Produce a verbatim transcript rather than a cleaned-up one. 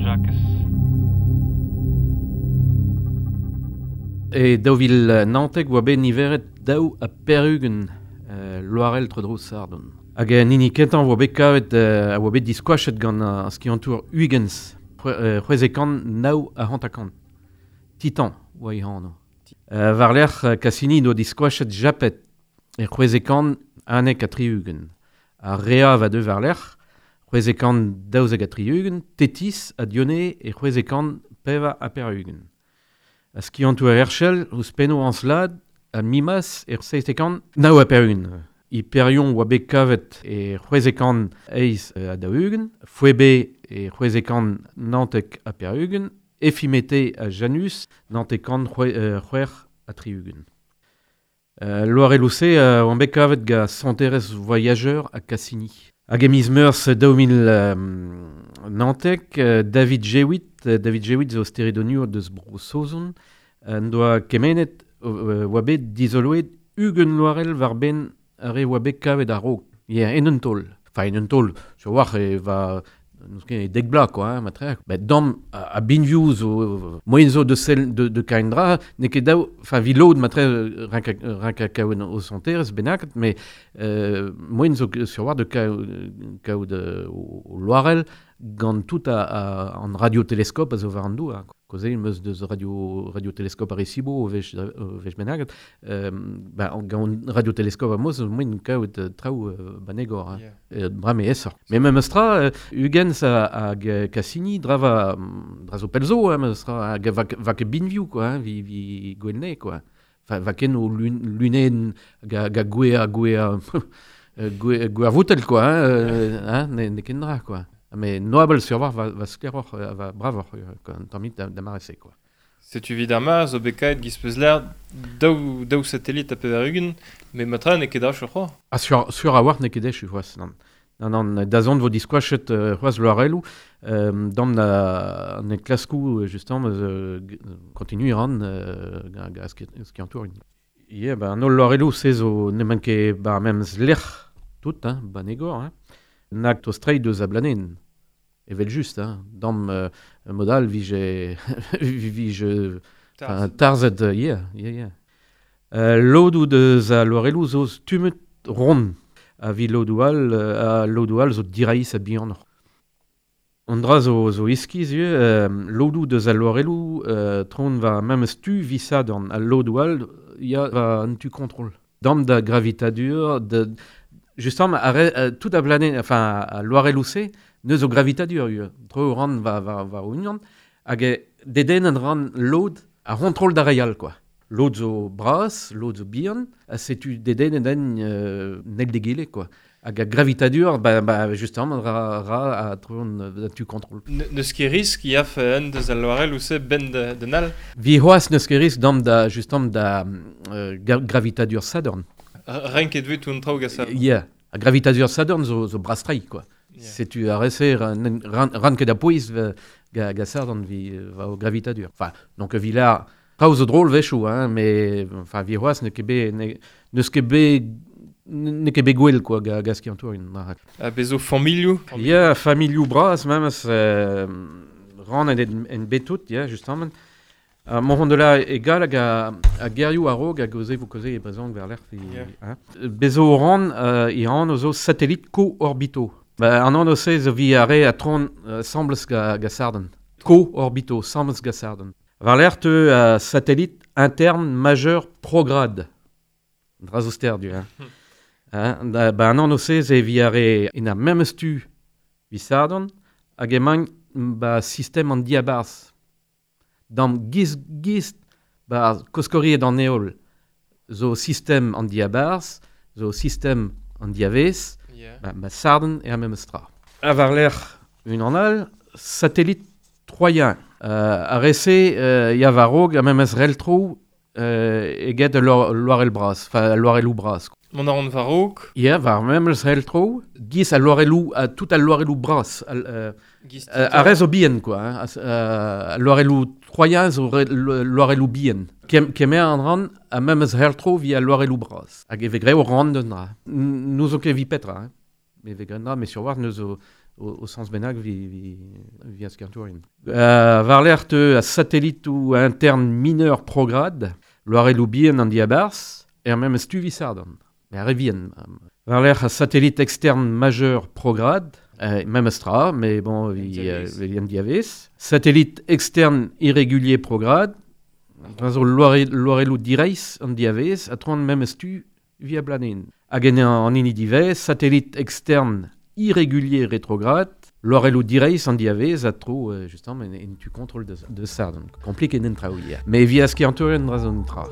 Jakez. E daou vil naontek oa bet niveret daou ha pevar-ugent euh, loarell tro-dro Sardon. Hag an hini kentañ oa bet kavet euh, a oa bet diskoachet gant ar skiantour Huygens, c'hwezek kant nav ha hanter-kant. Titan oa e anv. Euh, war-lerc'h Cassini doa diskoachet Japet e c'hwezek kant unnek ha tri-ugent. Ar Rea va deu war-lerc'h, c'hwezek kant daouzek ha tri-ugent, Tethys ha Dione e c'hwezek kant pevar ha pevar-ugent. A skiantour Herschel ouzhpennoù Encelade ha Mimas er seizhtek kant nav ha pevar-ugent. Hyperion oa bet kavet e c'hwezek kant eizh ha daou-ugent, Phoebe e c'hwezek kant naontek ha pevar-ugent, Ephiméthée ha Janus naontek kant c'hwec'h ha tri-ugent. Euh, Loarelloù-se euh, oant bet kavet gant Santerez Voyageur ha Cassini. Hag e miz Meurzh daou mil euh, naontek, euh, David Jewitt, David Jewitt zo steredoniour deus Bro-Saozon, en doa kemenet euh, oa bet dizoloet ugent loarell war-benn ar re oa bet kavet a-raok. Yeah, en un taol. Enfin, en un taol, sur war e va n'eus ket e dek bloaz, quoi, hein, matre. Bet dam a, a binvioù zo moyen zo de sel de, de kain dra, n'eo ket daou, enfin, vi lod matre rank a, rank a kaout o santerez bennaket, mais euh, moyen zo sur war de kaout o, o loarell gant tout a, a, an radioteleskop a zo war an douar. Koze meus deus radio, radioteleskop Arecibo o vech, o vech bennaket, euh, ba, gant radioteleskop a moz, moyen kaout traoù euh, banegor, hein. Yeah. E, bra me esor. Mais memes tra, euh, Huygens hag Cassini drava, dra zo pelzo, hein, memes tra, hag va, va ket binvioù, quoi, hein, vi, vi gwelne, quoi. Enfin, va ken o lun, lunen ga, ga gwea, gwea, gwea, gwea voutel, quoi, hein, hein, ne, ne ken dra, quoi. Mais noabel sur war va, va skleroc'h, va bravoc'h, quoi, un tammig da, da mare-se, quoi. Setu vid ar ma zo bet kaet giz peus l'air daou, daou satellit ha pevar-ugent, met matra n'eo ket echu c'hoazh. Ah, sur, sur a war n'eo ket echu c'hoazh, non. Non, non, da zont vo diskoachet euh, c'hoazh loarelloù, euh, dam na an enklaskoù, justement, euh, continue ran euh, ga, ga skiantour. Yeah, ba, an holl loarelloù se zo n'emaint ket ba memes lec'h tout, hein, ba negor, hein. Nag tostrei deus a blanen. Evel just, hein. Dam euh, modal vije vije enfin, tarzet, yeah, yeah, yeah. Euh, lodoù deus a loarelloù zo stummet rond. A vi lodoù all, a lodoù all zo diraïs a bihanoc'h. An dra zo, zo iskiz ivez, euh, lodoù deus a loarelloù euh, tron va memes tu vi Sadorn. A lodoù all ya va an tu kontrol. Dam da gravitadur, de, justement, a re, euh, tout a blanen, enfin, a loarelloù-se, neus o gravitadur ivez. Tro ran va, va, va union, hag e deden an ran lod a kontrol da reial, quoi. Lod zo bras, lod zo bihan, ha setu deden en euh, nel degele, quoi. Hag a gravitadur, ba, ba, justement, ra, ra a tro an tu kontrol. Neus ket risk ya fe un deus al loarelloù-se ben de, de nal? Vi c'hoazh neus ket risk dam da, justement, da euh, gravitadur Sadorn. Renket vet tout an traoù gant ça. Yeah. A gravitadur Sadorn zo, zo brastrei, quoi. Yeah. Setu a rese ran, ran, ran ket a pouez ga, ga Sadorn vi va o gravitadur. Enfin, donc vi la traoù zo drôle vechoù, hein, mais enfin vi c'hoazh n'eo ket bet n'eus ket bet n'eo ket bet gwell, quoi, ga, ga skiantour un dra. Ha bezo familhoù? Yeah, familhoù bras memes euh, ran en, en betout, yeah, justement. Uh, mont de la egal hag a, a gerioù a-raok hag oze vo koze e brezhoneg war lerc'h. Yeah. Hein. Bezo ran euh, e ran zo satellit co-orbito. Ba, an an ose zo vi a re a tron uh, sembles ga, ga Sarden. Co-orbito, sembles ga Sarden. War lerc'h teu uh, satellite interne majeur prograde. Dra zo ster du, hein. Hein, da, ba, an an ose ze vi a re en a memes tu vi Sarden hag emañ ba sistem an diabarzh. Dam giz giz ba koskoriet an heol zo sistem an diabarzh, zo sistem an diavez, yeah. ba, ba Sarden e a memes tra. A war lerc'h un an all, satellite troyen. Euh, a rese euh, ya war-raok a memes reltro euh, eget loarell bras, enfin loarelloù bras. Mont a ran war-raok? Yeah, war memes reltro, giz a loarelloù, a tout al loarelloù bras. Al, euh, euh, a rez zo bihan, quoi. Hein, a, loarelloù troyen zo loarelloù bihan. Kem, kemer an ran a memes reltro via loarelloù bras. Hag e vez greo ran d'un dra. Nous zo ket vi petra, hein. Me vez graet dra, mais sur war neus zo o, o sens bennak vi, vi, vi a skiantourien. Euh, war l'ert a satellitou interne mineur prograde, loarelou bien an diabars, er même stu vi sardon. Mais ar vien. War l'ert a satellite externe majeur prograde, euh, même stra, mais bon, vi, euh, vi an diavez. Satellite externe irrégulier prograde, zo loarelou direiz an diavez, a troan même stu via blanen. Hag en an hini divez, satellite externe irrégulier rétrograde, loarelou direiz an diavez a tro, euh, justement, en, en tu contrôle de, de ça, donc compliqué d'en traouier. Mais via skiantourien dra zon tra.